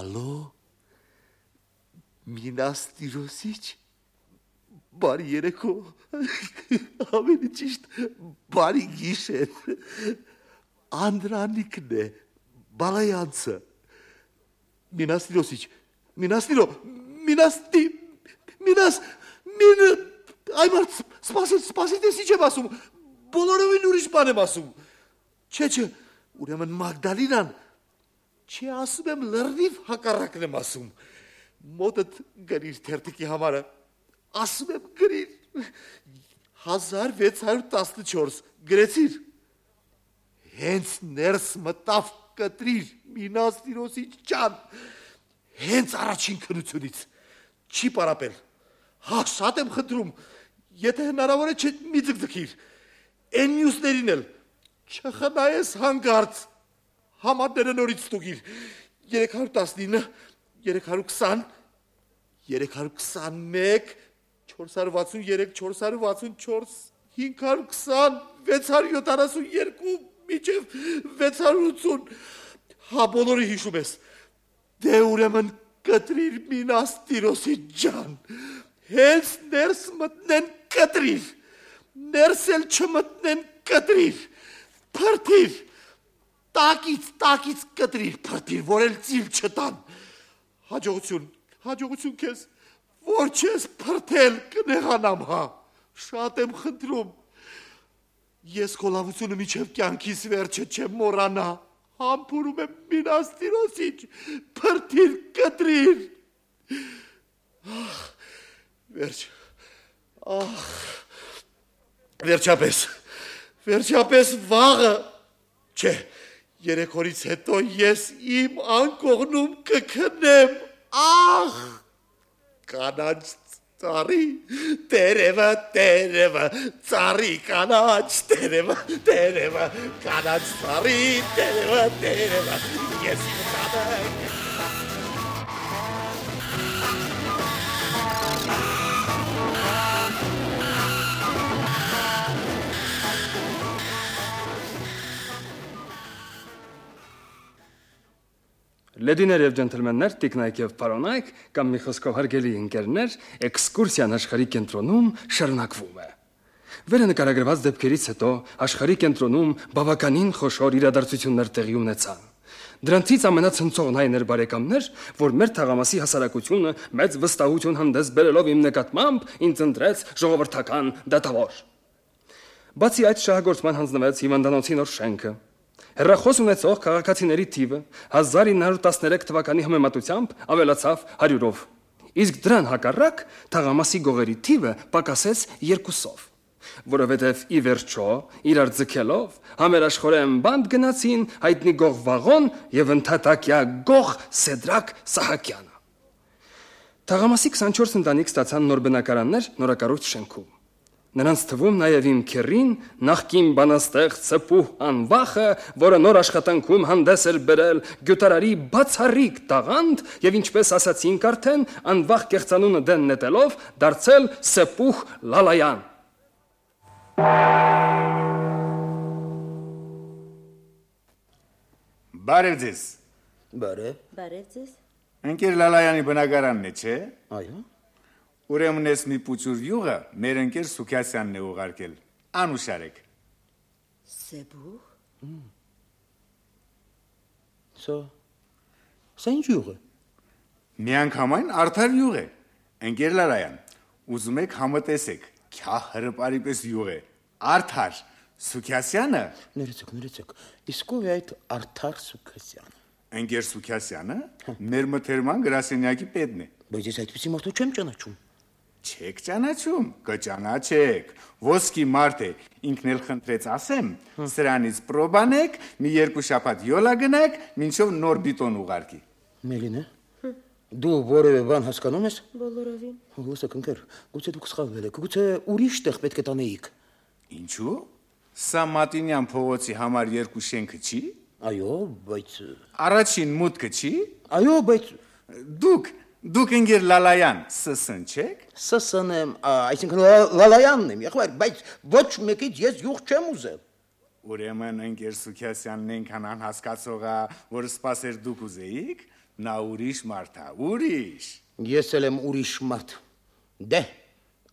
Ալո, Մինաստիրոսիչ, բարի երեկո, ավելի ճիշտ, բարի գիշեր, Անդրանիկն է, Բալայանցը, Մինաստիրոսիչ, այ մարդ, սպասիլ տես ինչ եմ ասում, բոլորովին ուրիշ բան եմ ասում, չէ, ուրեմն Մագդալինան, չէ ասում եմ լրնիվ հակառակն եմ ասում, մոտդ գրիր թերթիկի համարը, ասում եմ գրիր, 1614 գրեցիր, հենց ներս մտավ կտրիր Մինաստիրոսիչ ջան, հենց առաջին քնությունից, չի պարապել, շատ եմ խնդրում, եթե հնարավոր է չէ մի ձգձգիր, են մյուսներին էլ, չխնայես հանգարց, համարները նորից ստուգիր, 319, 320, 321, 463, 464, 520, 672, միջև 680, հա բոլորը հիշում ես, դե ուրեմն կտրիր Մինաստիրոսիչ ջան, հենց ներս մտնեն կտրիր, ներս էլ չմտնեն կտրիր, փրթիր, տակից կտրիր, փրթիր, որ էլ ծիլ չտան, հաջողություն քեզ, որ չես փրթել կնեղանամ հա, շատ եմ խնդրում, ես քո լավությունը միջև կյանքիս վերջը չեմ մոռանա, համբուրում եմ Մինաստիրոսիչ, փրթիր կտրիր, վերջապես վաղը, չէ, 3 օրից հետո ես իմ անկողնում կքնեմ, կանաչ ծառի, տերևը, ծառի կանաչ, տերևը, կանաչ ծառի, տերևը, ես կտանեմ, Լեդիներ և ջենթլմեններ, տիկնայք և պարոնայք, կամ մի խոսքով հարգելի ընկերներ, էքսկուրսիան աշխարհի կենտրոնում շարունակվում է։ Վերը նկարագրված դեպքերից հետո աշխարհի կենտրոնում բավականին խոշոր իրադարձություններ տեղի ունեցան։ Դրանցից ամենացնցողն այն էր բարեկամներ, որ մեր թաղամասի հասարակությունը մեծ վստահություն հանդես բերելով իմ նկատմամբ ինձ ընտրեց ժողովրդական դատավոր։ Բացի այդ շահագործման հանձնվեց հիվանդանոցի նոր շենքը։ Հեռախոս ունեցող քաղաքացիների թիվը 1913 թվականի համեմատությամբ ավելացավ 100-ով, իսկ դրան հակառակ թաղամասի գողերի թիվը պակասեց 2-ով, որովհետև ի վերջո իրար ձգելով համերաշխորեն բանդ գնացին հայտնի գող Վաղոն և ընդհատակյա գող Սեդրակ Սահակյանը։ Թաղամասի 24 ընտանիք ստացան նոր բնակարաններ նորակառույց շենքում։ Նրանց թվում նաև իմ քեռին նախկին բանաստեղծ Սպուհ Անվախը, որը նոր աշխատանքում հանդես էր բերել գյուտարարի բացառիկ տաղանդ եւ ինչպես ասացինք արդեն Անվախ կեղծանունը դեն նետելով դարձել Սպուհ Լալայան։ Բարև ձեզ։ Բարև ձեզ։ Ընկեր Լալայանի բնակարանն է, չէ՞։ Այո։ Ուրեմն ես մի պուծուր յուղը մեր ընկեր Սուքյասյանն է ուղարկել, անուշարեք։ Սեբուխ։ Սա ինչ յուղ է։ Միանգամայն արդար յուղ է, ընկեր Լալայան, ուզում եք համտեսեք, քյա հրպարի պես յուղ է, արդար, Սուքյասյանը։ Ներեցեք, իսկ ով է այդ արդար Սուքյասյանը։ Ընկեր Սուքյասյանը մեր մթերման գրասենյակի պետն է։ Բայց ես այդպիսի մարդու չեմ ճանաչում։ Չեք ճանաչում, կճանաչեք, ոսկի մարդ է, ինքն էլ խնդրեց ասեմ, սրանից պրոբանեք, մի 2 շաբաթ յոլա գնաք, մինչև նոր բիտոն ուղարկի։ Մելինե, դու որևէ բան հասկանում ես։ Բոլորովին։ Լսեք ընկեր, գուցե դուք սխալվել եք, գուցե ուրիշ տեղ պետք է տանեիք։ Ինչու՞։ Սա Մատինյան փողոցի համար 2 շենքը չի։ Այո, բայց Առաջին մուտքը չի։ Այո, բայց Դուք ընկեր Լալայան սսն չեք։ Սսն եմ, այսինքն Լալայանն եմ, եղբայր, բայց ոչ մեկից ես յուղ չեմ ուզել։ Ուրեմն ընկեր Սուքյասյանն այնքան անհասկացող է, որ սպասեր դուք ուզեիք, Նա ուրիշ մարդ է, ուրիշ։ Ես էլ եմ ուրիշ մարդ։ Դե,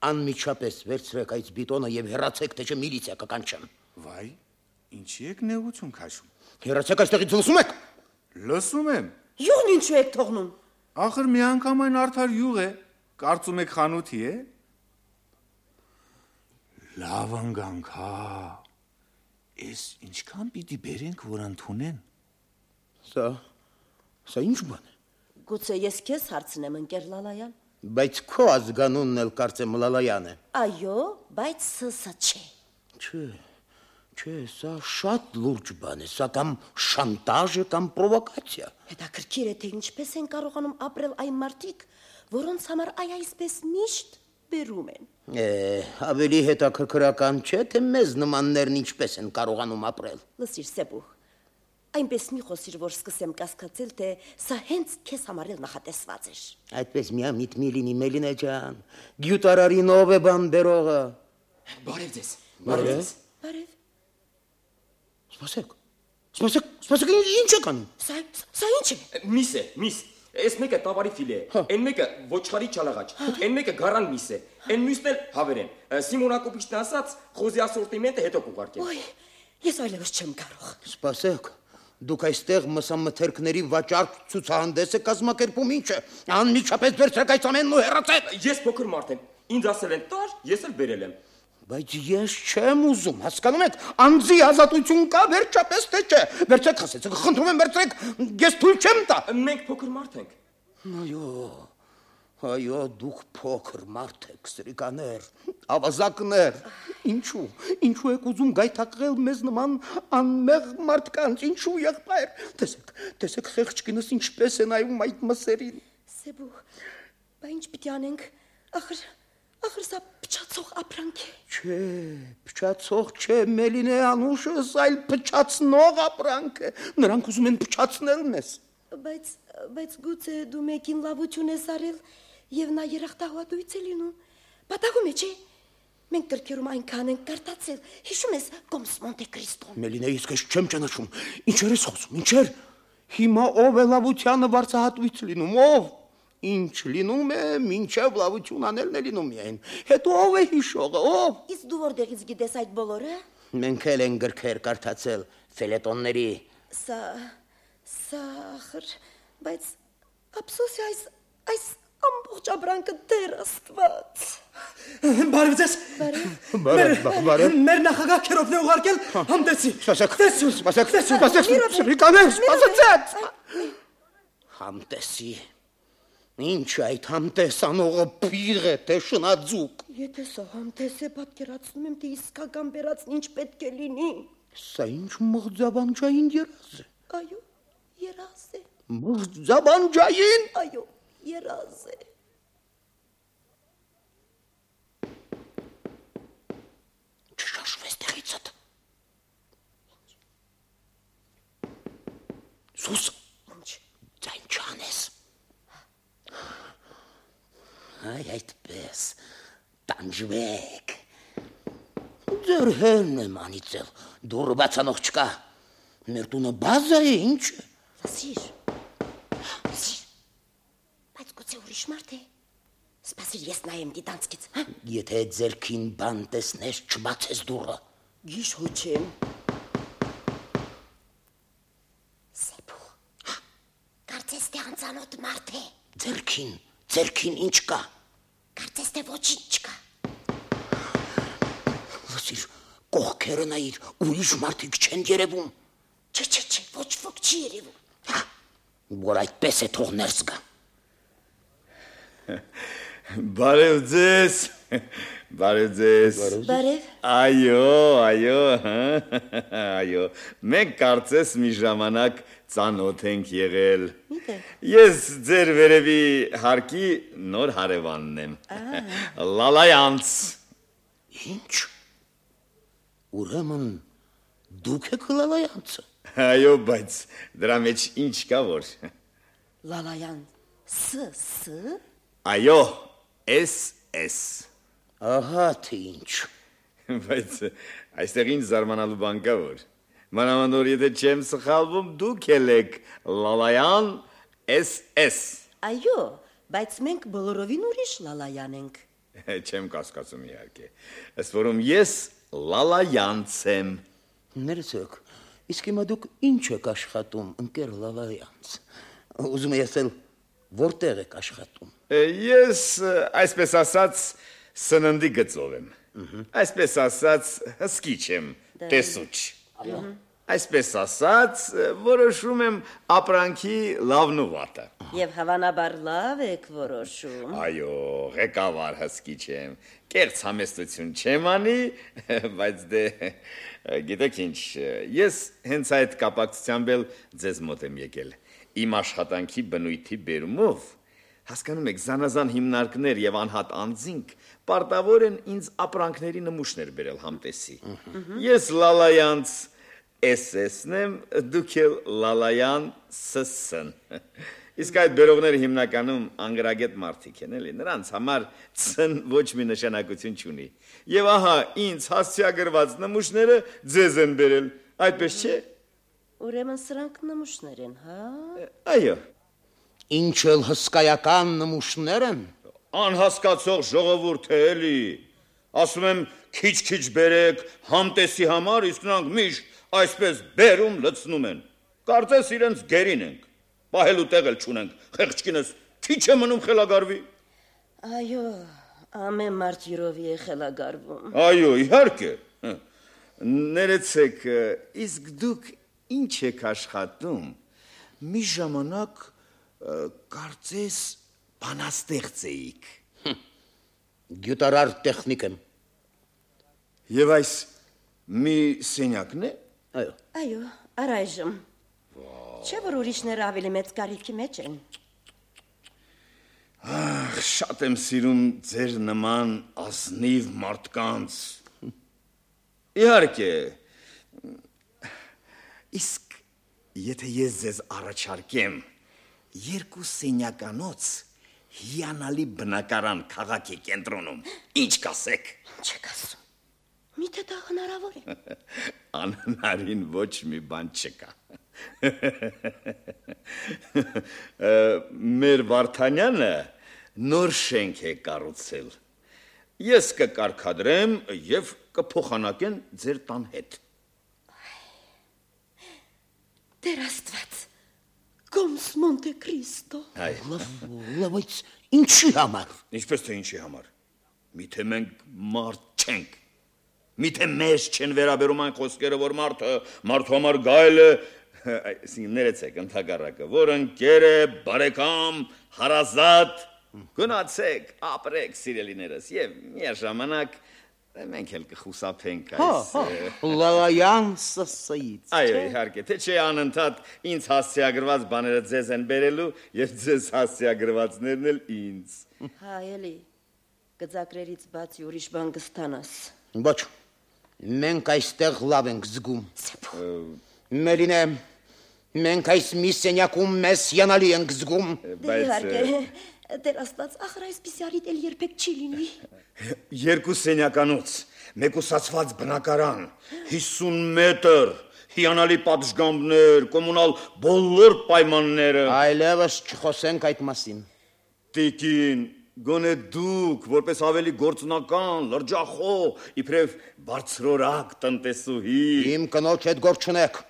անմիջապես վերցրեք այդ բիտոնը եւ հեռացեք, թե չէ միլիցիա կկանչեմ։ Վայ, ինչի եք նեղություն քաշում։ Հեռացեք այստեղից, լսում եք։ Լսում եմ։ Յուղն ինչու եք թողնում։ Ախր միանգամայն արդար յուղ է։ Կարծում եք խանութի է։ Լավ ընկանք, հա։ Էս ինչքան պիտի բերենք, որ ընդունեն։ Սա ինչ բան է։ Գուցե ես քեզ հարցնեմ, ընկեր Լալայան։ Բայց քո ազգանունն էլ կարծեմ Լալայան է։ Այո, բայց սա չէ։ Չէ, սա շատ լուրջ բան է, սա կամ շանտաժ է, կամ պրովոկացիա։ Հետաքրքիր է, թե ինչպես են կարողանում ապրել այն մարդիկ, որոնց համար այսպես միշտ բերում են։ Ավելի հետաքրքրական չէ, թե մեզ նմաններն ինչպես են կարողանում ապրել։ Լսիր, Սեբուխ, այնպես մի խոսիր, որ սկսեմ կասկածել, թե սա հենց քեզ համար էլ նախատեսված էր։ Այդպես միամիտ մի լինի, Մելինե ջան, գյուտարարին ով է բան բերողը։ Բարև ձեզ։ Բարև։ Բարև։ Սպասեք, ինչ եք անում։ Սա ինչ է։ Միս։ Այս մեկը տավարի ֆիլե է, այն մեկը ոչխարի չալաղաչ, այն մեկը գարան միս է, այն մյուսն էլ հավեր են։ Սիմոն Ակոպիչն ասաց, խոզի ասորտիմենտը հետո կուղարկեմ։ Ոյ, ես այլևս չեմ կարող։ Սպասեք, դուք այստեղ մսամթերքների վաճառք ցուցահանդես եք կազմակերպում, ինչ է։ Անմիջապես վերցրեք այս ամենն ու հեռացեք։ Ես փոքր մարդ եմ, ինձ ասել են տար, ես էլ բերել եմ։ Բայց ես չեմ ուզում, հասկանում եք, անձի ազատություն կա, վերջապես թե չէ։ Վերցրեք, խասեցեք, խնդրում եմ վերցրեք, ես թույլ չեմ տա։ Մենք փոքր մարդ ենք։ Այո, դուք փոքր մարդ եք, սրիկաներ, ավազակներ։ Ինչու եք ուզում գայթակղել մեզ նման անմեղ մարդկանց, ինչու եղբայր։ Տեսեք խեղճ կինս ինչպես է նայում այդ մսերին։ Սեբուխ, բա ինչ պիտի անենք։ Ախր սա փչացող ապրանք է։ Չէ, փչացող չէ, Մելինե անուշս, այլ փչացնող ապրանք է։ Նրանք ուզում են փչացնել մեզ։ Բայց գուցե դու մեկին լավություն ես արել եւ նա երախտահայտույց է լինում։ Պատահում է, չէ՞։ Մենք գրքերում այնքան ենք կարդացել։ Հիշում ես Կոմս Մոնտե Կրիստոն։ Մելինե, իսկ ես չեմ ճանաչում։ Ինչեր ես խոսում, ինչեր։ Հիմա ով է լավությանը վարձահատույց լինում, ով։ Ինչ լինում է, մինչև լավություն անելն է լինում միայն։ Հետո ով է հիշողը, ով։ Իսկ դու որտեղից գիտես այդ բոլորը։ Մենք էլ են գրքեր կարդացել, ֆելետոնների։ Սա ախր, բայց ափսոսի այս ամբողջ ապրանքը դեռ Աստված։ Բարև ձեզ։ Բարև։ Մեր նախագահ Քերովն է ուղարկել համտեսի։ Սպասեք, սրիկաներ, սպասեցեք։ Համտեսի։ Ինչ այդ համտեսանողը պիղ է, թե շնաձուկ։ Եթե սա համտես է, պատկերացնում եմ, թե իսկական բերածն ինչ պետք է լինի։ Սա ինչ մղձավանջային երազ է։ Այո, երազ է։ Մղձավանջային։ Այո, երազ է։ Չշաշվես տեղիցդ։ Սուս։ Ինչ։ Ձայն չանես։ Այ այդպես, տանջվեք։ Ձեր հերն եմ անիծել, դուրը բացանող չկա։ Մեր տունը բազա է, ինչ է։ Լսիր, բայց գուցե ուրիշ մարդ է։ Սպասիր, ես նայեմ դիտանցքից, հա։ Եթե ձերքին բան տեսնես, չբացես դուրը։ Գիշ հոչեմ։ Սեբուխ, կարծես թե անծանոթ մարդ է։ Ձերքին ինչ կա։ Կարծես թե ոչինչ չկա։ Լսիր, կողքերը նայիր, ուրիշ մարդիկ չեն երևում։ Չէ, ոչ ոք չի երևում։ Որ այդպես է, թող ներս գա։ Բարև ձեզ։ Բարև։ Այո, մենք կարծես մի ժամանակ ծանոթ ենք եղել։ Միտե։ Ես ձեր վերևի հարկի նոր հարևանն եմ։ Լալայանց։ Ինչ։ Ուրեմն դուք եք Լալայանցը։ Այո, բայց դրա մեջ ինչ կա որ։ Լալայան, ս։ Այո, S։ Ահա թե ինչ։ Բայց այստեղ ինչ զարմանալու բան կա որ։ Մանավանդ որ եթե չեմ սխալվում, դուք էլ եք Լալայան SS։ Այո, բայց մենք բոլորովին ուրիշ Լալայան ենք։ Չեմ կասկածում իհարկե։ Ըստ որում ես Լալայանց եմ։ Ներեցեք, իսկ հիմա դուք ինչ եք աշխատում, ընկեր Լալայանց։ Ուզում ես էլ որտեղ եք աշխատում։ Ես, այսպես ասած, սննդի գծով եմ։ Այսպես ասած, հսկիչ եմ, տեսուչ։ Այսպես ասած, որոշում եմ ապրանքի լավն ու վատը։ Եվ հավանաբար լավ եք որոշում։ Այո, ղեկավար հսկիչ եմ, կեղծ համեստություն չեմ անի, բայց դե, գիտեք ինչ, ես հենց այդ կապակցությամբ էլ ձեզ մոտ եմ եկել, իմ աշխատանքի բնույթի բերումով, հասկանում եք, զանազան հիմնարկներ և անհատ անձինք պարտավոր են ինձ ապրանքների նմուշներ բերել համտեսի։ Ես Լալայանց SS-ն եմ, դուք էլ Լալայան SS-ն։ Իսկ այդ բերողները հիմնականում անգրագետ մարդիկ են, էլի, նրանց համար ցն ոչ մի նշանակություն չունի։ Եվ ահա ինձ հասցեագրված նմուշները ձեզ են բերել, այդպես չէ։ Ուրեմն սրանք նմուշներ են, հա։ Այո։ Ինչ էլ հսկայական նմուշներ են։ Անհասկացող ժողովուրդ է, էլի։ Ասում եմ, քիչ-քիչ բերեք համտեսի համար, իսկ նրանք միշտ այսպես բերում լցնում են։ Կարծես իրենց գերին ենք։ Պահելու տեղ էլ չունենք, խեղճկինս քիչ է մնում խելագարվի։ Այո, ամեն մարդ յուրովի է խելագարվում։ Այո, իհարկե։ Ներեցեք, իսկ դուք ինչ եք աշխատում։ Մի ժամանակ կարծես բանաստեղծ էիք։ Գյուտարար տեխնիկ եմ։ Եվ այս մի սենյակն է։ Այո։ Այո, առայժմ։ Չէ՞ որ ուրիշները ավելի մեծ կարիքի մեջ են։ Ախ, շատ եմ սիրում ձեր նման ազնիվ մարդկանց։ Իհարկե։ Իսկ եթե ես ձեզ առաջարկեմ երկու սենյականոց հիանալի բնակարան քաղաքի կենտրոնում, ինչ կասեք։ Չեք ասում։ Միթե դա հնարավոր է։ Անհնարին ոչ մի բան չկա։ Մեր Վարդանյանը նոր շենք է կառուցել։ Ես կկարգադրեմ եւ կփոխանակեն ձեր տան հետ։ Տեր Աստված, Կոմս Մոնտե Քրիստո։ Լավ, բայց ինչի համար։ Ինչպես թե ինչի համար։ Միթե մենք մարդ չենք։ Միթե մեզ չեն վերաբերում այն խոսքերը, որ մարդու համար գայլ է, ներեցեք ընդհակառակը, որ ընկեր է, բարեկամ, հարազատ, գնացեք, ապրեք սիրելիներս եւ միաժամանակ մենք էլ կխուսափենք այս։ Լալայան SS-ից։ Այո, իհարկե, թե չէ անընդհատ ինձ հասցեագրված բաները ձեզ են բերելու եւ ձեզ հասցեագրվածներն էլ ինձ։ Հա, էլի, գծակրերից բացի ուրիշ բան կստանաս։ Ոչ, մենք այստեղ լավ ենք զգում։ Մերինե, մենք այս մի սենյակում մեզ հիանալի ենք զգում։ Դե իհարկե, Տեր Աստված, ախր այսպիսի առիթ էլ երբեք չի լինի։ Երկու սենյականոց, մեկուսացված բնակարան, 50 մետր, հիանալի պատշգամբներ, կոմունալ բոլոր պայմանները։ Այլևս չխոսենք այդ մասին։ Տիկին, գոնե դուք, որպես ավելի գործնական, լրջախոհ, իբրև բարձրորակ տնտեսուհի։ Իմ կնոջ հետ գործ չունեք։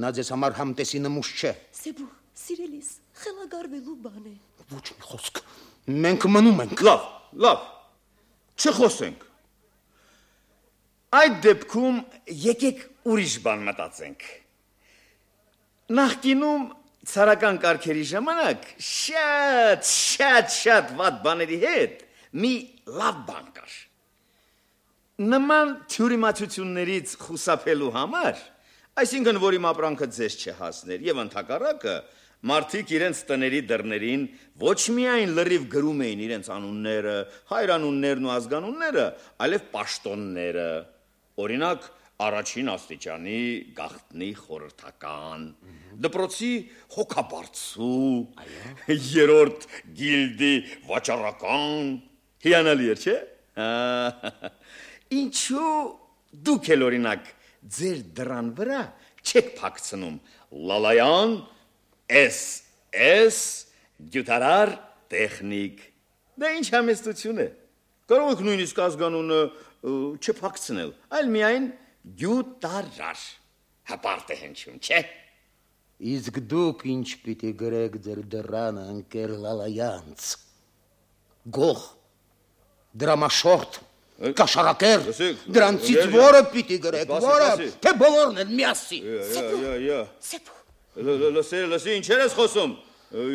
Նա ձեզ համար համտեսի նմուշ չէ։ Սեբու, սիրելիս, խելագարվելու բան է։ Ոչ մի խոսք։ Մենք մնում ենք։ Լավ, չխոսենք։ Այդ դեպքում եկեք ուրիշ բան մտածենք։ Նախկինում ցարական կարգերի ժամանակ շատ վատ բաների հետ մի լավ բան կար։ Նման թյուրիմացություններից խուսափելու համար, այսինքն որ իմ ապրանքը ձեզ չհասներ եւ ընդհակառակը մարդիկ իրենց տների դռներին ոչ միայն լրիվ գրում էին իրենց անունները, հայրանուններն ու ազգանունները, այլև պաշտոնները, օրինակ առաջին աստիճանի գաղտնի խորհրդական, դպրոցի հոգաբարձու, երրորդ գիլդի վաճառական, հիանալի էր, չէ՞։ Ինչու դուք էլ օրինակ ձեր դռան վրա չեք փակցնում Լալայան Էս գյուտարար տեխնիկ։ Դա ինչ համեստություն է։ Կարող եք նույնիսկ ազգանունը չփակցնել, այլ միայն գյուտարար։ Հապարտ է հնչում, չէ՞։ Իսկ դուք ինչ պիտի գրեք ձեր դռանը, ընկեր Լալայանց։ Գող, դրամաշորթ, կաշարակեր, դրանցից որը պիտի գրեք, որը, թե բոլորն են միասին։ Սեփու։ Լսի, ինչեր ես խոսում։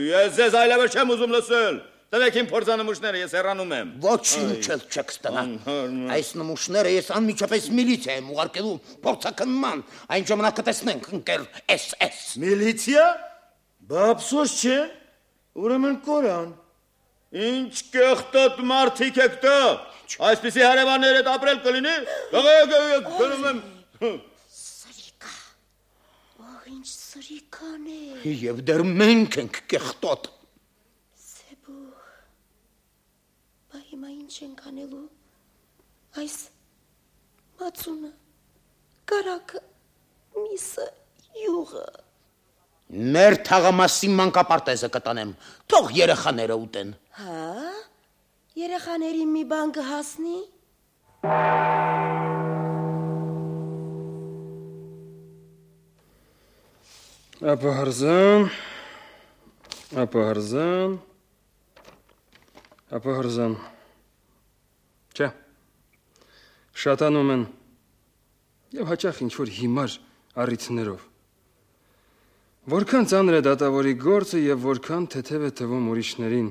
Ես ձեզ այլևս չեմ ուզում լսել։ Տնեք իմ փորձանմուշները, ես հեռանում եմ։ Ոչինչ էլ չեք ստանա։ Այս նմուշները ես անմիջապես միլիցիա եմ ուղարկելու փորձաքննման, այն ժամանակ կտեսնենք, ընկեր SS։ Միլիցիա։ Բա ափսոս չէ։ Ուրեմն կորան։ Ինչ կեղտոտ մարդիկ եք դա։ Այսպիսի հարևաններ հետ ապրել կլինի։ Գնում եմ։ Սրիկա։ Ահ, ինչ սրիկան է։ Եվ դեռ մենք ենք կեղտոտ։ Հիմա ինչ ենք անելու, այս մածունը, կարակը, միսը, յուղը։ Մեր թաղամասի մանկապարտեզը կտանեմ, թող երեխաները ուտեն։ Հա, երեխաներին մի բան կհասնի։ Ապահարզան, չէ, շատանում են և հաճախ ինչ-որ հիմար առիթներով։ Որքան ծանր է դատավորի գործը և որքան թեթև է թվում ուրիշներին։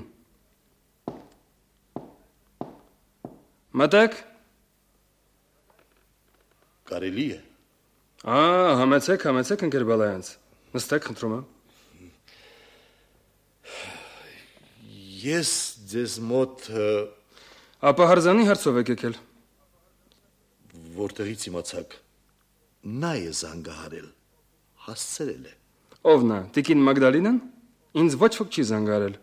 Մտեք։ Կարելի է։ Համեցեք, ընկեր Բալայանց, նստեք, խնդրում եմ։ Ես ձեզ մոտ Ապահարզանի հարցով եք եկել։ Որտեղից իմացաք, նա է զանգահարել, հասցրել է։ Ով նա, տիկին Մագդալինան։ Ինձ ոչ ոք չի զանգահարել։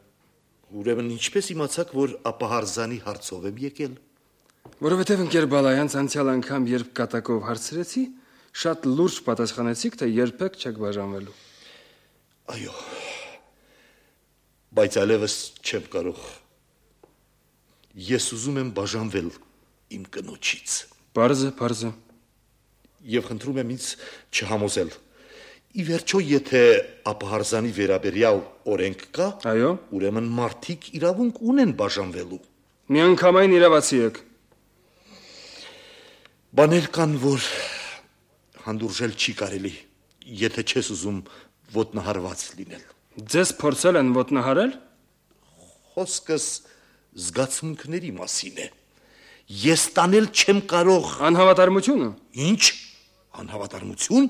Ուրեմն ինչպես իմացաք, որ Ապահարզանի հարցով եմ եկել։ Որովհետև ընկեր Բալայանց անցյալ անգամ, երբ կատակով հարցրեցի, շատ լուրջ պատասխանեցիք, թե երբեք չեք բաժանվելու։ Այո, բայց այլևս չեմ կարող։ Ես ուզում եմ բաժանվել իմ կնոջից։ Պարզ է։ Եվ խնդրում եմ ինձ չհամոզել։ Ի վերջո, եթե Ապահարզանի վերաբերյալ օրենք կա, այո, ուրեմն մարդիկ իրավունք ունեն բաժանվելու։ Միանգամայն իրավացի եք։ Բաներ կան, որ հանդուրժել չի կարելի, եթե չես ուզում ոտնահարված լինել։ Ձեզ փորձել են ոտնահարել։ Խոսքս զգացմունքների մասին է։ Ես տանել չեմ կարող։ Անհավատարմությունը։ Ինչ? Անհավատարմություն։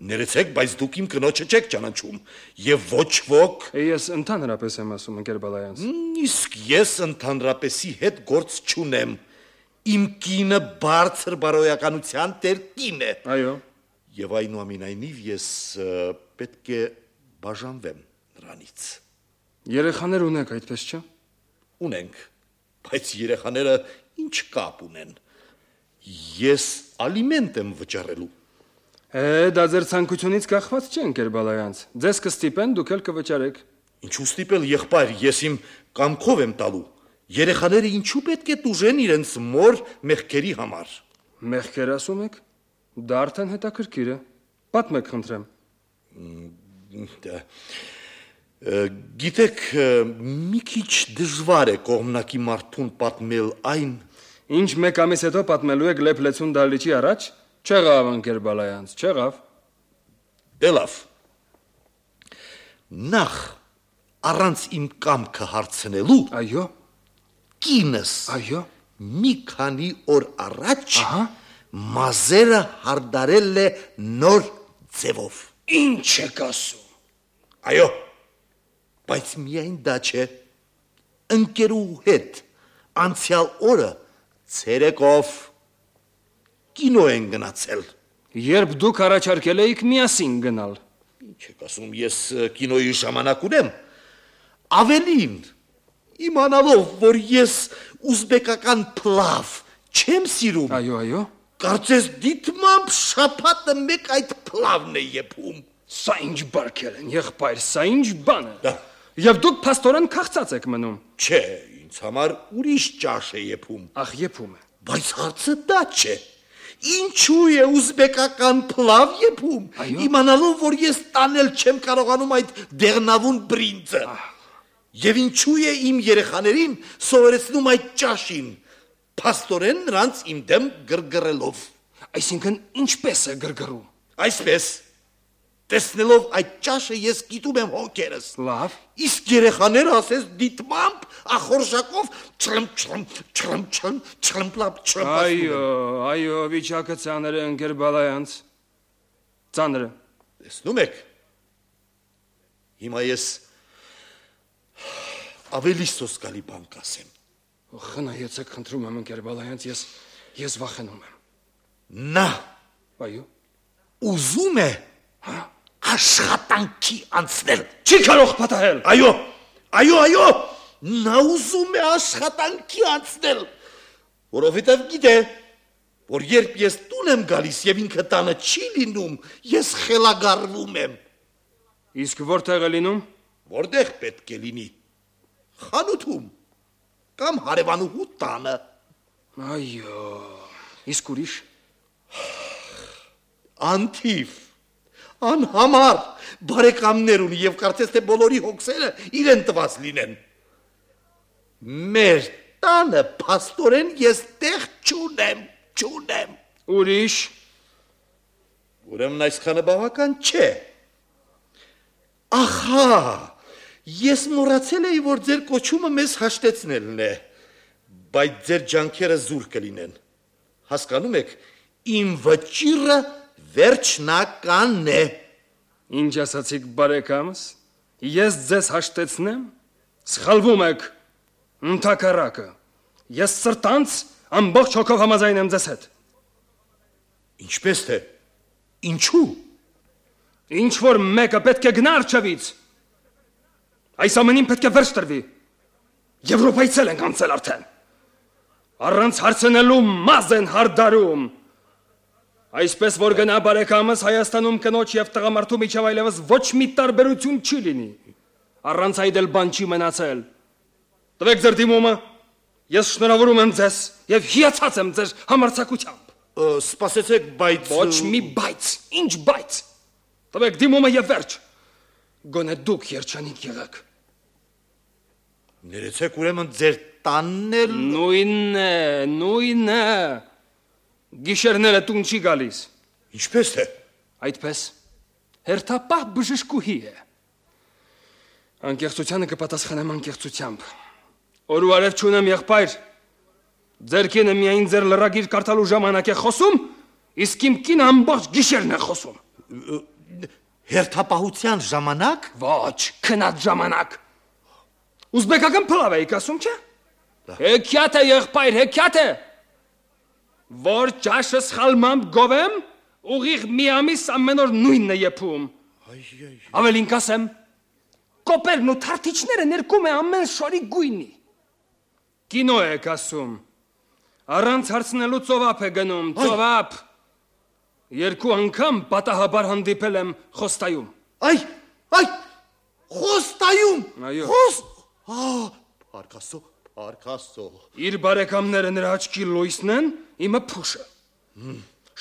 Ներեցեք, բայց դուք իմ կնոջը չեք ճանաչում, եւ ոչ ոք։ Ես ընդհանրապես եմ ասում, ընկեր Բալայանց։ Իսկ ես ընդհանրապեսի հետ գործ չունեմ։ Իմ կինը բարձր բարոյականության տեր կին է։ Այո։ Եվ այնուամենայնիվ ես պետք է բաժանվեմ նրանից։ Երեխաներ ունեք, այդպես չէ։ Ունենք, բայց երեխաները ինչ կապ ունեն։ Ես ալիմենտ եմ վճարելու։ Դա ձեր ցանկությունից կախված չէ, ընկեր Բալայանց։ Ձեզ կստիպեն, դուք էլ կվճարեք։ Ինչու ստիպել, եղբայր, ես իմ կամքով եմ տալու։ Երեխաները ինչու պետք է տուժեն իրենց մոր մեղքերի համար։ Մեղքեր ասում եք։ Դա արդեն հետաքրքիր է։ Պատմեք, խնդրեմ։ Գիտեք, մի քիչ դժվար է կողմնակի մարդուն պատմել այն, Ինչ մեկ ամիս հետո պատմելու եք Լեփլեցուն դալիճի առաջ։ Չեղավ, ընկեր Բալայանց, չեղավ։ Դե լավ։ Նախ առանց իմ կամքը հարցնելու, Այո, կինս այո։ մի քանի օր առաջ մազերը հարդարել է նոր ձևով։ Ինչ եք ասում։ Այո, բայց միայն դա չէ։ Ընկերու հետ անցյալ օրը ցերեկով կինո են գնացել։ Երբ դուք առաջարկել էիք միասին գնալ։ Ինչ եք ասում, ես կինոյի ժամանակ ունեմ։ Ավելին, իմանալով, որ ես ուզբեկական փլավ չեմ սիրում։ Այո, այո։ Կարծես դիտմամբ շաբաթը մեկ այդ փլավն է եփում։ Սա ինչ բարգել են, եղբայր, սա ինչ բան է։ Դա։ Եվ դուք փաստորեն քաղցած եք մնում։ Չէ, ինձ համար ուրիշ ճաշ է եփում։ Ախ, եփում է։ Բայց հարցը դա չէ։ Ինչու է ուզբեկական փլավ եփում։ Այո։ Իմանալով, որ ես տանել չեմ կարողանում այդ դեղնավուն բրինձը։ Եվ ինչու է իմ երեխաներին սովորեցնում այդ ճաշին։ Փաստորեն նրանց իմ դեմ գրգռելով։ Այսինքն ինչպես է գրգռում։ Այսպես տեսնելով այդ ճաշը ես գիտում եմ հոգերս։ Լավ։ Իսկ երեխաները ասես դիտմամբ ախորժակով չրմպլապ Այո, վիճակը ծանր է ընկեր Բալայանց։ Ծանր է։ Տեսնում եք։ Հիմա ես ավելի սոսկալի բան կասեմ։ Խնայեցեք, խնդրում եմ ընկեր Բալայանց, ես վախենում եմ։ Նա Այո։ ուզում է աշխատանքի անցնել։ Չի կարող պատահել։ Այո, նա ուզում է աշխատանքի անցնել, որովհետև գիտե, որ երբ ես տուն եմ գալիս եւ ինքը տանը չի լինում, ես խելագարվում եմ։ Իսկ որտեղ է լինում։ Որտեղ պետք է լինի։ Խանութում կամ հարևանուհու տանը։ Այո։ Իսկ ուրիշ։ Անթիվ, անհամար բարեկամներ ունի եւ կարծես թե բոլորի հոգսերը իրեն տված լինեն։ Մեր տանը փաստորեն ես տեղ չունեմ։ Ուրիշ։ Ուրեմն այսքանը բավական չէ։ Ահա, ես մոռացել էի, որ ձեր կոչումը մեզ հաշտեցնելն է, բայց ձեր ջանքերը զուր կլինեն։ Հասկանում եք, իմ վճիռը վերջնական է։ Ինչ ասացիք բարեկամս։ Ես ձեզ հաշտեցնեմ։ Սխալվում եք։ Ընդհակառակը։ Ես սրտանց ամբողջ հոգով համաձայն եմ ձեզ հետ։ Ինչպես թե։ Ինչու։ Ինչ որ մեկը պետք է գնա առջևից։ Այս ամենին պետք է վերջ տրվի։ Եվրոպայցել ենք անցել արդեն։ Առանց հարցնելու մազ են հարդարում։ Այսպես որ գնա բարեկամս Հայաստանում կնոջ եւ տղամարդու միջև այլևս ոչ մի տարբերություն չի լինի։ Առանց այդ էլ բան չի մնացել։ Տվեք ձեր դիմումը։ Ես շնորհավորում եմ ձեզ եւ հիացած եմ ձեր համարձակությամբ։ Սպասեցեք, բայց Ոչ մի բայց, ինչ բայց։ Տվեք դիմումը եւ վերջ։ Գոնե դուք երջանիկ եղեք։ Ներեցեք ուրեմն ձեր տանն էլ Նույնն է։ Գիշերները տուն չի գալիս։ Ինչպես թե։ Այդպես հերթապահ բժշկուհի է։ Անկեղծությանը կպատասխանեմ անկեղծությամբ։ Օր ու արև չունեմ եղբայր։ Ձեր կինը միայն ձեր լրագիր կարդալու ժամանակ է խոսում, իսկ իմ կինը ամբողջ գիշերն է խոսում։ Հերթապահության ժամանակ։ Ոչ, քնած ժամանակ։ Ուզբեկական փլավ էիք ասում, չէ՞։ Հեքիաթ է եղբայր, հեքիաթ է։ Որ ճաշը սխալմամբ գովեմ, ուղիղ մի ամիս ամեն օր նույնն է եփում։ Ավելին կասեմ, կոպերն ու թարթիչները ներկում է ամեն շորի գույնի։ Կինո եք ասում, առանց հարցնելու ծովափ է գնում, ծովափ։ Երկու անգամ պատահաբար հանդիպել եմ Խոստայում։ Խոստայում։ Այո։ Փարքաստո։ Իր բարեկամները նրա աչքի լույսն են, իմը փուշը։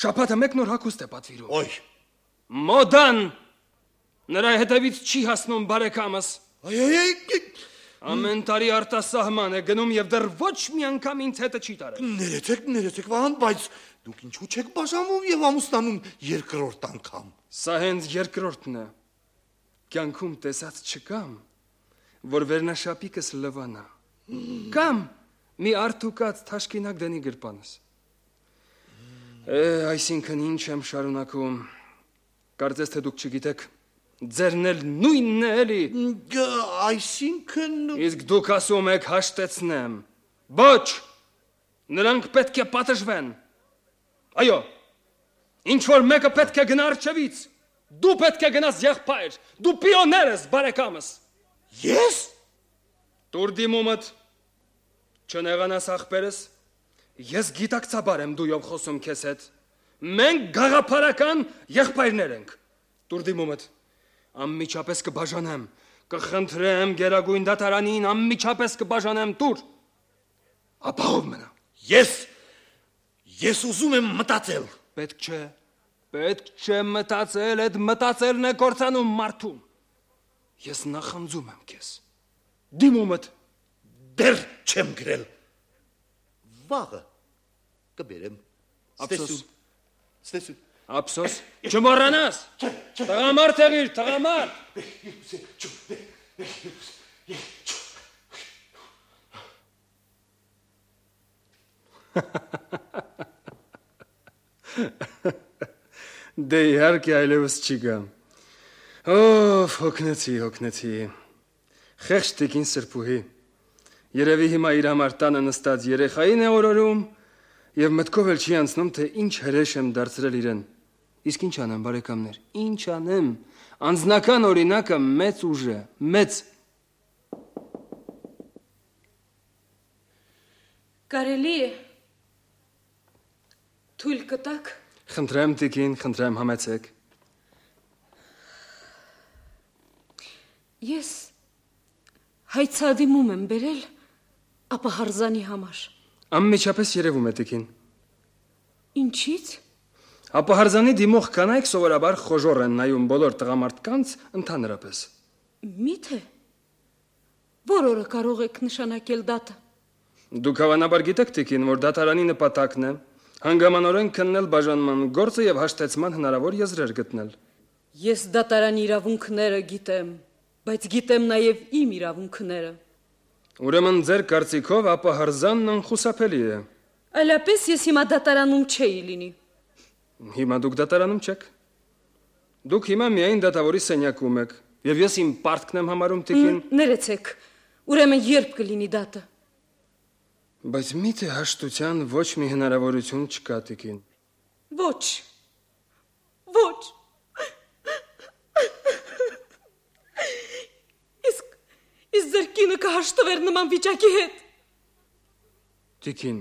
Շաբաթը մեկ նոր հագուստ է պատվիրում։ Մոդան նրա հետևից չի հասնում բարեկամս։ Ամեն տարի արտասահման է գնում եւ դեռ ոչ մի անգամ ինձ հետը չի տարել։ Ներեցեք վահան, բայց դուք ինչու չեք բաժանում եւ ամուսնանում երկրորդ անգամ։ Սա հենց երկրորդն է։ Կյանքում տեսած չկամ, որ վերնաշապիկս լվանա։ Կամ մի արդուկած թաշկինակ դնի գրպանս։ Այսինքն ինչ եմ շարունակում։ Կարծես թե դուք չգիտեք, ձերն էլ նույնն է էլի։ Այսինքն Իսկ դուք ասում եք հաշտեցնեմ։ Ոչ, նրանք պետք է պատժվեն։ Այո, ինչ որ մեկը պետք է գնա առջևից։ Դու պետք է գնաս եղբայր, դու պիոներ ես բարեկամս։ Ես։ Տուր դիմումդ, չնեղանաս ախպերս, ես գիտակցաբար եմ դույով խոսում քեզ հետ։ Մենք գաղափարական եղբայրներ ենք։ Տուր դիմումդ, Անմիջապես կբաժանեմ, կխնդրեմ Գերագույն դատարանին, անմիջապես կբաժանեմ, տուր։ Ապահով մնա։ Ես ուզում եմ մտածել։ Պետք չէ մտածել, այդ մտածելն է կործանում մարդուն։ Ես նախանձում եմ քեզ։ Դիմումդ Դեռ չեմ գրել։ Վաղը կբերեմ։ Ստեսուն։ Ափսոս, չմոռանաս։ Տղամարդ եղիր, տղամարդ։ Դե իհարկե այլևս չի գամ։ Հոգնեցի։ Խեղճ տիկին սրբուհի։ Երևի հիմա իր համար տանը նստած երեխային է օրորում եւ մտքով էլ չի անցնում, թե ինչ հրեշ եմ դարձրել իրեն։ Իսկ ինչ անեմ, բարեկամներ, ինչ անեմ։ Անձնական օրինակը մեծ ուժ է, մեծ։ Կարելի է թույլ կտակ։ Խնդրեմ տիկին, խնդրեմ համեցեք։ Ես հայցադիմում եմ բերել ապահարզանի համար։ Անմիջապես երևում է տիկին։ Ինչից։ Ապահարզանի դիմող կանայք սովորաբար խոժոր են նայում բոլոր տղամարդկանց ընդհանրապես։ Միթե որ օրը կարող եք նշանակել դատը։ Դուք հավանաբար գիտեք տիկին, որ դատարանի նպատակն է հանգամանորեն քննել բաժանման գործը եւ հաշտեցման հնարավոր եզրեր գտնել։ Ես դատարանի իրավունքները գիտեմ, բայց գիտեմ նաեւ իմ իրավունքները։ Ուրեմն ձեր կարծիքով ապահարզանն անխուսափելի է։ Այլապես ես հիմա դատարանում չէի լինի։ Հիմա դուք դատարանում չեք։ Դուք հիմա միայն դատավորի սենյակում եք, եւ ես իմ պարտքն եմ համարում տիկին։ Ներեցեք, ուրեմն երբ կլինի դատը։ Բայց միթե հաշտության ոչ մի հնարավորություն չկա տիկին։ Ոչ։ Իսկ ձեր կինը կհաշտվեր նման վիճակի հետ։ Տիկին,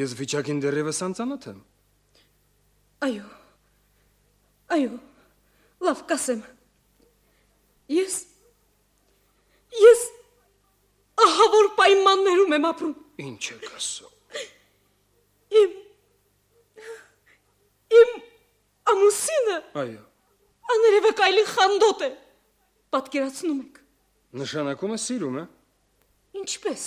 ես վիճակին դեռևս անծանոթ եմ։ Այո, լավ կասեմ։ Ես ահա որ պայմաններում եմ ապրում։ Ինչ եք ասում։ Իմ ամուսինը։ Այո։ Աներևեք այլի խանդոտ է։ Պատկերացնում եք։ Նշանակում է սիրում է։ Ինչպես։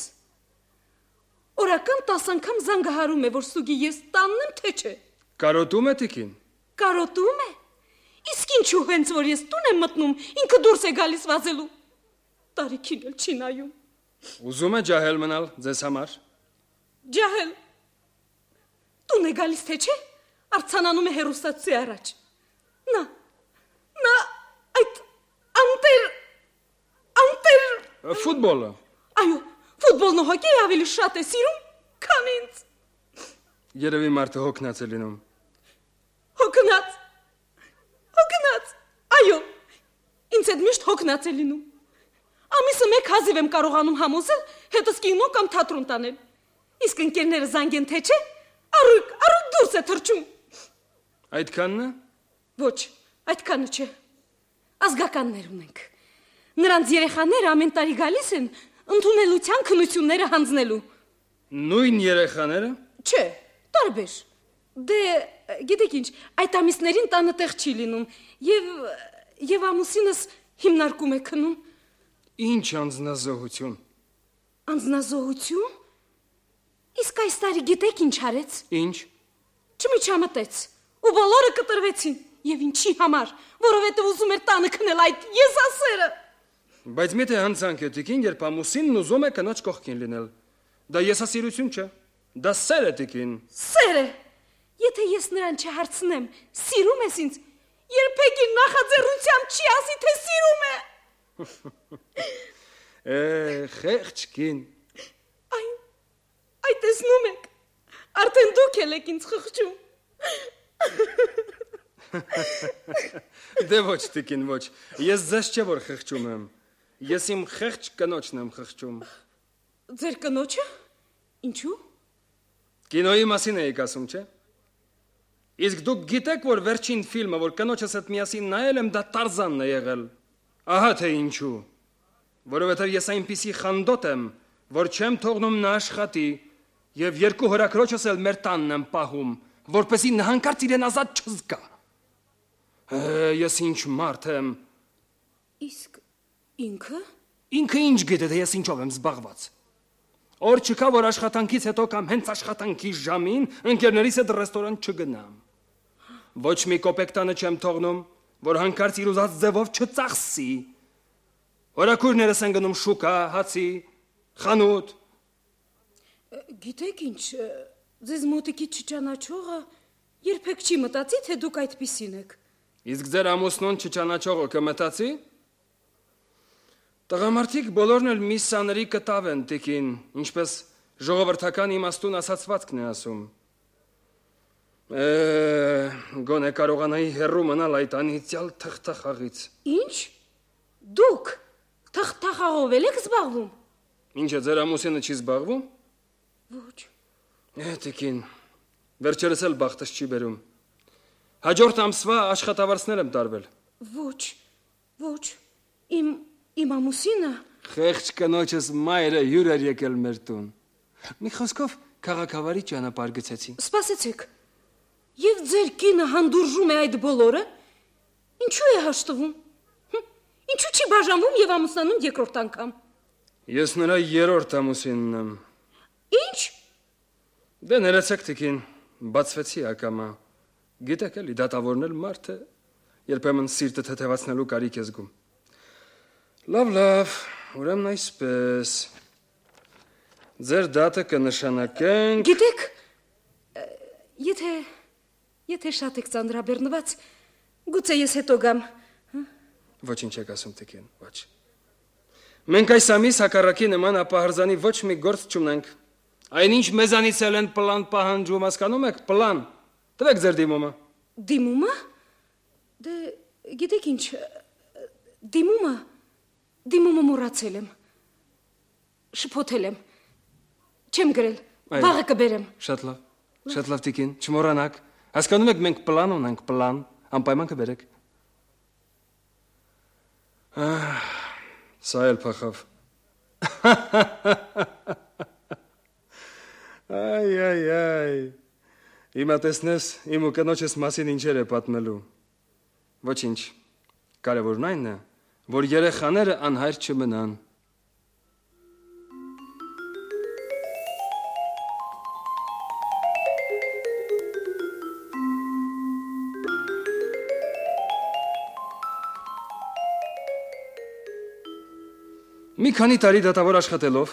Օրական 10 անգամ զանգահարում է, որ ստուգի ես տանն եմ, թե չէ։ Կարոտում է տիկին։ Կարոտում է։ Իսկ ինչու հենց որ ես տուն եմ մտնում, ինքը դուրս է գալիս վազելու։ Տարիքին էլ չի նայում։ Ուզում է ջահել մնալ ձեզ համար։ Ջահել։ Տուն է գալիս, թե չէ։ Արցանանում է հերոստացի առաջ։ Նա այդ անտեր Ֆուտբոլը։ Այո, ֆուտբոլն ու հոկեյը ավելի շատ է սիրում, քան ինձ։ Երևի մարդը հոգնած է լինում։ Հոգնած։ Այո, ինձ հետ միշտ հոգնած է լինում։ Ամիսը մեկ հազիվ եմ կարողանում համոզել հետս կինո կամ թատրոն տանել։ Իսկ ընկերները զանգեն, թե չէ, առուկ դուրս է թռչում։ Այդքանն է։ Ոչ, այդքանը չէ։ Ազգականներ ունենք։ Նրանց երեխաները ամեն տարի գալիս են ընդունելության քննությունները հանձնելու։ Նույն երեխաները։ Չէ, տարբեր։ Դե, գիտեք ինչ, այդ ամիսներին տանը տեղ չի լինում եւ ամուսինս հիմնարկում է քնում։ Ինչ անձնազոհություն։ Անձնազոհություն։ Իսկ այս տարի գիտեք ինչ արեց։ Ինչ։ Չմիջամտեց ու բոլորը կտրվեցին։ Եվ ինչի համար, որովհետև ուզում էր տանը քնել այդ եսասերը։ Բայց միթե հանցանք է տիկին, երբ ամուսինն ուզում է կնոջ կողքին լինել։ Դա եսասիրություն չէ։ Դա սեր է տիկին։ Սեր է։ Եթե ես նրան չհարցնեմ, սիրում ես ինձ, երբեք նախաձեռնությամբ չի ասի, թե սիրում է։ Խեղճ կին։ Այ տեսնում եք, արդեն դուք եք ինձ խղճում։ Դե ոչ տիկին, ոչ։ Ես ձեզ չէ որ խղճում եմ։ Ես իմ խեղճ կնոջն եմ խղճում։ Ձեր կնոջը։ Ինչու։ Կինոյի մասին էիք ասում, չէ։ Իսկ դուք գիտեք, որ վերջին ֆիլմը, որ կնոջս հետ միասին նայել եմ, դա Տարզանն է եղել։ Ահա թե ինչու։ Որովհետև ես այնպիսի խանդոտ եմ, որ չեմ թողնում նա աշխատի, եւ երկու հորաքրոջս էլ մեր տանն եմ պահում, որպեսզի նա հանկարծ իրեն ազատ չզգա։ Ես ինչ մարդ եմ։ Իսկ ինքը? Ինքը ինչ գիտե, թե ես ինչով եմ զբաղված։ Օր չկա, որ աշխատանքից հետո կամ հենց աշխատանքի ժամին ընկերներիս հետ ռեստորան չգնամ։ Ոչ մի կոպեկ տանը չեմ թողնում, որ հանկարծ իր ուզած ձևով չծախսի։ Հորաքուրներս են գնում շուկա, հացի, խանութ։ Գիտեք ինչ, ձեզ մոտիկից չճանաչողը երբեք չի մտածի, թե դուք այդպիսին եք։ Իսկ ձեր ամուսնուն չճանաչողը կմտածի։ Տղամարդիկ բոլորն էլ մի սաների կտավ են տիկին, ինչպես ժողովրդական իմաստուն ասացվածքն է ասում։ Գոնե կարողանայի հեռու մնալ այդ անիծյալ թղթախաղից։ Ինչ? Դուք թղթախաղով եք զբաղվում։ Ինչ է, ձեր ամուսինը չի զբաղվում։ Ոչ։ Տիկին, վերջերս էլ բախտս չի բերում։ Հաջորդ ամսվա աշխատավարձներ եմ տարվել։ Ոչ։ Իմ ամուսինը Խեղճ կնոջս մայրը հյուր էր եկել մեր տուն։ Մի խոսքով քաղաքավարի ճանապարհ գցեցին։ Սպասեցեք։ Եվ ձեր կինը հանդուրժում է այդ բոլորը։ Ինչու է հաշտվում։ Ինչու չի բաժանվում եւ ամուսնանում երկրորդ անգամ։ Ես նրա երրորդ ամուսինն եմ։ Ինչ։ Դե ներեցեք տիկին, բացվեցի ակամա։ Գիտեք էլի դատավորն էլ մարդ է, երբեմն սիրտը թեթևացնելու կարիք է զգում։ Լավ, ուրեմն այսպես։ Ձեր դատը կնշանակենք։ Գիտեք, եթե շատ եք ծանրաբեռնված, գուցե ես հետո գամ։ Ոչինչ եք ասում տիկին, ոչ։ Մենք այս ամիս հակառակի նման ապահարզանի ոչ մի գործ չունենք։ Այնինչ մեզանից էլ են պլան պահանջում, հասկանում եք, պլան։ Տվեք ձեր դիմումը։ Դիմումը։ Դե գիտեք ինչ, դիմումը մոռացել եմ։ Շփոթել եմ։ Չեմ գրել։ Վաղը կբերեմ։ Շատ լավ տիկին, չմոռանաք։ Հասկանում եք, մենք պլան ունենք, պլան, անպայման կբերեք։ Սա էլ փախավ։ Այ։ Հիմա տեսնես, իմ ու կնոջս մասին ինչեր է պատմելու։ Ոչինչ, կարևորն այն է, որ երեխաները անհայր չմնան։ Մի քանի տարի դատավոր աշխատելով,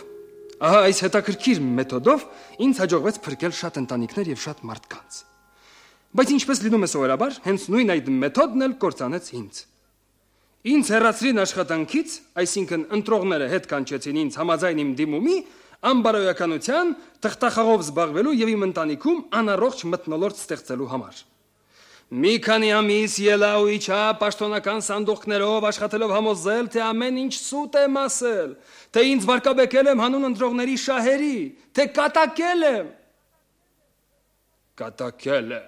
ահա այս հետաքրքիր մեթոդով ինձ հաջողվեց փրկել շատ ընտանիքներ եւ շատ մարդկանց։ Բայց ինչպես լինում է սովորաբար, հենց նույն այդ մեթոդն էլ կործանեց ինձ։ Ինձ հեռացրին աշխատանքից, այսինքն ընտրողները հետ կանչեցին ինձ համաձայն իմ դիմումի, անբարոյականության, թղթախաղով զբաղվելու եւ իմ ընտանիքում անառողջ մթնոլորտ ստեղծելու համար։ Մի քանի ամիս ելա ու իջա պաշտոնական սանդուղքներով աշխատելով համոզել, թե ամեն ինչ սուտ եմ ասել, թե ինձ վարկաբեկել եմ հանուն ընտրողների շահերի, թե կատակել եմ։ Կատակել է։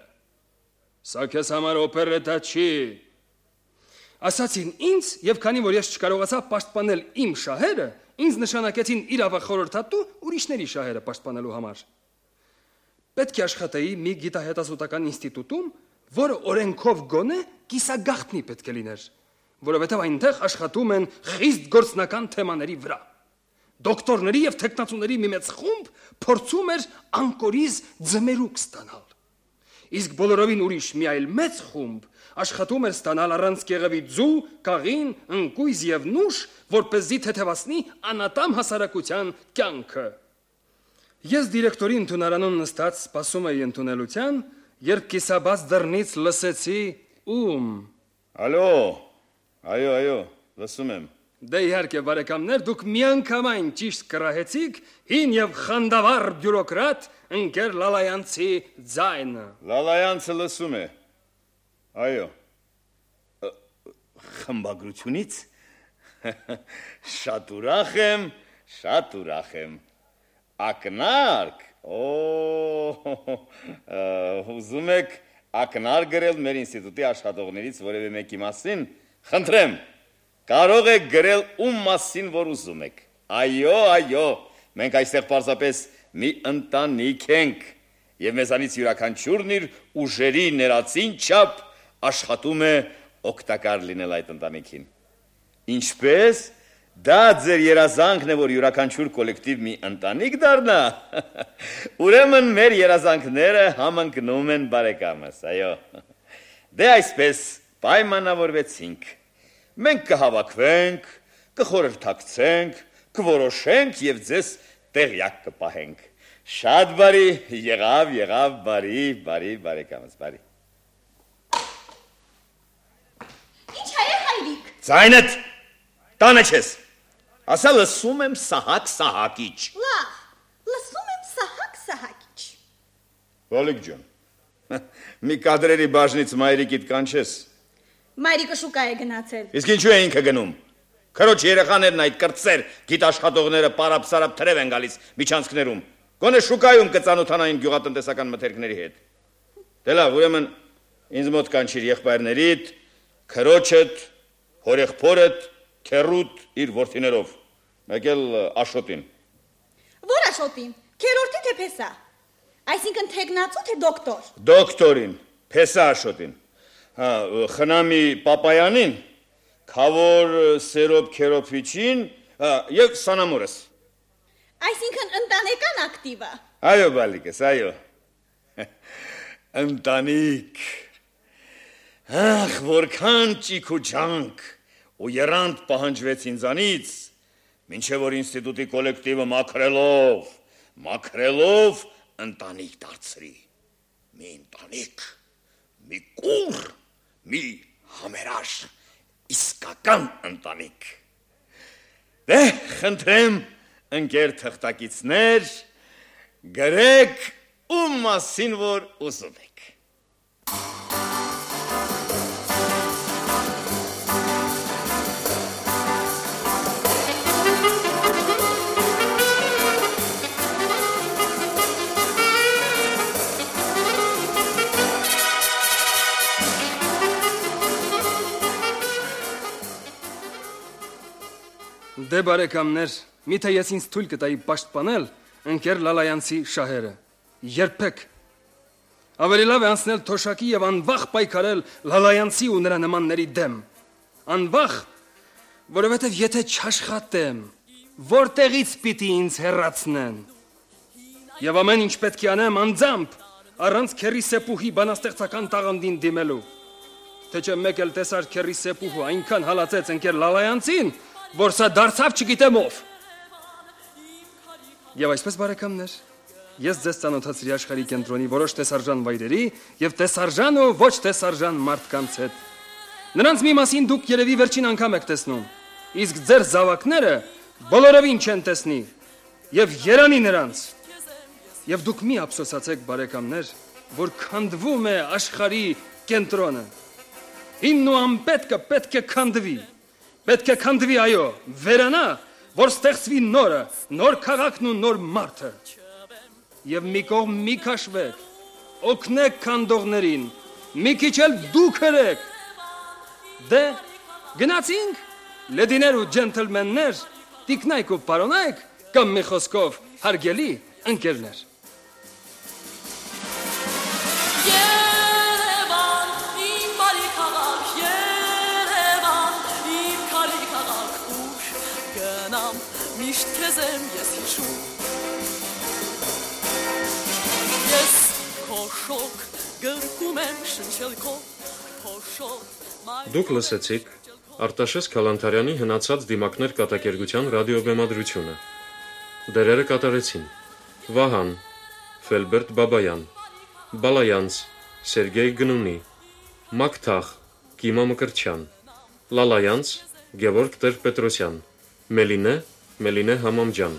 Սա քեզ համար օպերետա չի։ Ասացին ինձ, եւ քանի որ ես չկարողացա պաշտպանել իմ շահերը, ինձ նշանակեցին իրավախորհրդատու ուրիշների շահերը պաշտպանելու համար։ Պետք է աշխատեի մի գիտահետազոտական ինստիտուտում, որը օրենքով գոնե կիսագաղտնի պետք է լիներ, որովհետև այնտեղ աշխատում են խիստ գործնական թեմաների վրա։ Դոկտորների եւ տեխնացուների մի մեծ խումբ փորձում էր անկորիզ ձմերուկ ստանալ։ Իսկ բոլորովին ուրիշ մի այլ մեծ խումբ աշխատում էր ստանալ առանց կեղևի ձու, կաղին, ընկույզ եւ նուշ, որպեսզի թեթևացնի անատամ հասարակության կյանքը։ Ես դիրեկտորի ընդունարանում նստած սպասում էի ընդունելության, երբ կիսաբաց դռնից լսեցի ում։ Այո, լսում եմ։ Դե իհարկե բարեկամներ, դուք միանգամայն ճիշտ կռահեցիք հին եւ խանդավառ բյուրոկրատ ընկեր Լալայանցի ձայնը։ Լալայանցը լսում է։ Այո։ Խմբագրությունից։ Շատ ուրախ եմ։ Ակնարկ։ Ուզում եք ակնարկ գրել մեր ինստիտուտի աշխատողներից որևէ մեկի մասին։ Խնդրեմ, Կարող եք գրել ում մասին որ ուզում եք։ Այո, մենք այստեղ պարզապես մի ընտանիք ենք եւ մեզանից յուրաքանչյուրն իր ուժերի ներածին չափ աշխատում է օգտակար լինել այդ ընտանիքին։ Ինչպես դա ձեր երազանքն է որ յուրաքանչյուր կոլեկտիվ մի ընտանիք դառնա։ Ուրեմն մեր երազանքները համընկնում են բարեկամս, այո։ Դե այսպես պայմանավորվեցինք։ Մենք կհավաքվենք, կխորհրդակցենք, կորոշենք եւ ձեզ տեղյակ կպահենք։ Շատ բարի, եղավ, բարի, բարեկամս, բարի։ Ինչ հայ է հայրիկ։ Ձայնդ, տանը չես։ Ասա լսում եմ Սահակ-Սահակիչ։ Լավ, լսում եմ Սահակ-Սահակիչ։ Վոլիկ ջան, մի կադրերի բաժնից մայրիկիդ կանչես։ Մայրիկը շուկա է գնացել։ Իսկ ինչու է ինքը գնում։ Քրոջ երեխաներն այդ կրտսեր գիտաշխատողները պարապ-սարապ թրև են գալիս միջանցքներում։ Գոնե շուկայում կծանոթանային գյուղատնտեսական մթերքների հետ։ Դե լավ, ուրեմն ինձ մոտ կանչիր եղբայրներիդ, քրոջդ, հորեղբորդ, քերուդ իր որդիներով։ Մեկ էլ Աշոտին։ Որ Աշոտին, քերորդի թե փեսա։ Այսինքն թեկնածու թե դոկտոր։ Դոկտորին, փեսա Աշոտին։ Խնամի Պապայանին, Քավոր Սերոբ Քերոփիչին եւ Սանամորս։ Այսինքն ընտանեկան ակտիվը։ Այո, բալիկս, այո։ Ընտանիք։ Ախ, որքան ճիք ու ջանք ու երանդ պահանջվեց ինձանից, մինչև որ ինստիտուտի կոլեկտիվը մաքրելով ընտանիք դարձրի։ Մի ընտանիք, մի կուր, մի համերաշ, իսկական ընտանիք։ Դե, խնդրեմ, ընկեր թղթակիցներ, գրեք ում մասին որ ուզում եք։ Դե բարեկամներ, միթե ես ինձ թույլ կտայի պաշտպանել ընկեր Լալայանցի շահերը։ Երբեք։ Ավելի լավ է անցնել թոշակի եւ անվախ պայքարել Լալայանցի ու նրա նմանների դեմ։ Անվախ, որովհետեւ եթե չաշխատեմ, որտեղից պիտի ինձ հեռացնեն։ Եվ ամեն ինչ պետք է անեմ անձամբ, առանց քերի սեպուհի բանաստեղծական տաղանդին դիմելու։ Թե չէ մեկ էլ տեսար քերի սեպուհու այնքան հալածեց ընկեր Լալայանցին, որ սա դարձավ չգիտեմ ով։ Եվ այսպես բարեկամներ, ես ձեզ ծանոթացրի աշխարհի կենտրոնի որոշ տեսարժան վայրերի եւ տեսարժան ու ոչ տեսարժան մարդկանց հետ։ Նրանց մի մասին դուք երևի վերջին անգամ եք տեսնում, իսկ ձեր զավակները բոլորովին չեն տեսնի եւ երանի նրանց։ Եվ դուք մի ափսոսացեք բարեկամներ, որ քանդվում է աշխարհի կենտրոնը։ Ինն ու անպետքը պետք է քանդվի։ Պետք է քանդվի, այո, վերանա, որ ստեղծվի նորը, նոր քաղաքն ու նոր մարդը։ Եվ մի կողմ մի քաշվեք, օգնեք քանդողներին, մի քիչ էլ դուք հրեք։ Դե, գնացինք, լեդիներ ու ջենթլմեններ, տիկնայք ու պարոնայք, կամ մի խոսքով հարգելի ընկերներ։ Միշտ քեզ եմ ես հիշում Ես քո շոկ գրկում եմ շնչել քո փոշոտ Դուք լսեցիք Արտաշես Քալանթարյանի հնացած դիմակներ կատակերգության ռադիոբեմադրությունը Դերերը կատարեցին Վահան Ֆելբերտ Բաբայան Բալայանց Սերգեյ Գնունի Մակթախ Կիմա Մկրտչյան Լալայանց Գևորգ Տեր-Պետրոսյան Մելինե Համամջան,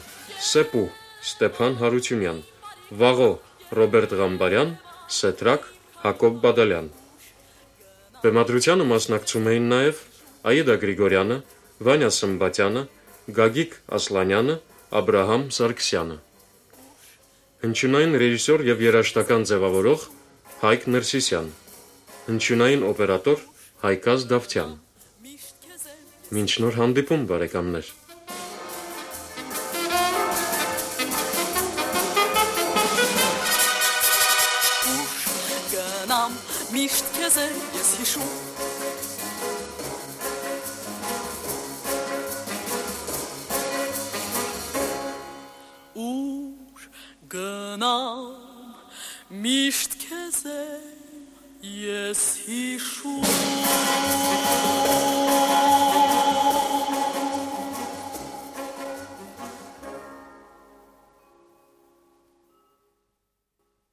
Սեպու Ստեփան Հարությունյան, Վաղո Ռոբերտ Ղամբարյան, Սետրակ Հակոբ Բադալյան։ Բեմադրությանը մասնակցում էին նաև Աիդա Գրիգորյանը, Վանյա Սմբատյանը, Գագիկ Ասլանյանը, Աբրահամ Սարգսյանը։ Հնչյունային ռեժիսոր եւ երաժշտական ձևավորող Հայկ Ներսիսյան։ Հնչյունային օպերատոր Հայկազ Դավթյան։ Մինչ նոր հանդիպում, բարեկամներ։ Գնամ միշտ քեզ ես հիշում Ուր գնամ միշտ քեզ ես հիշում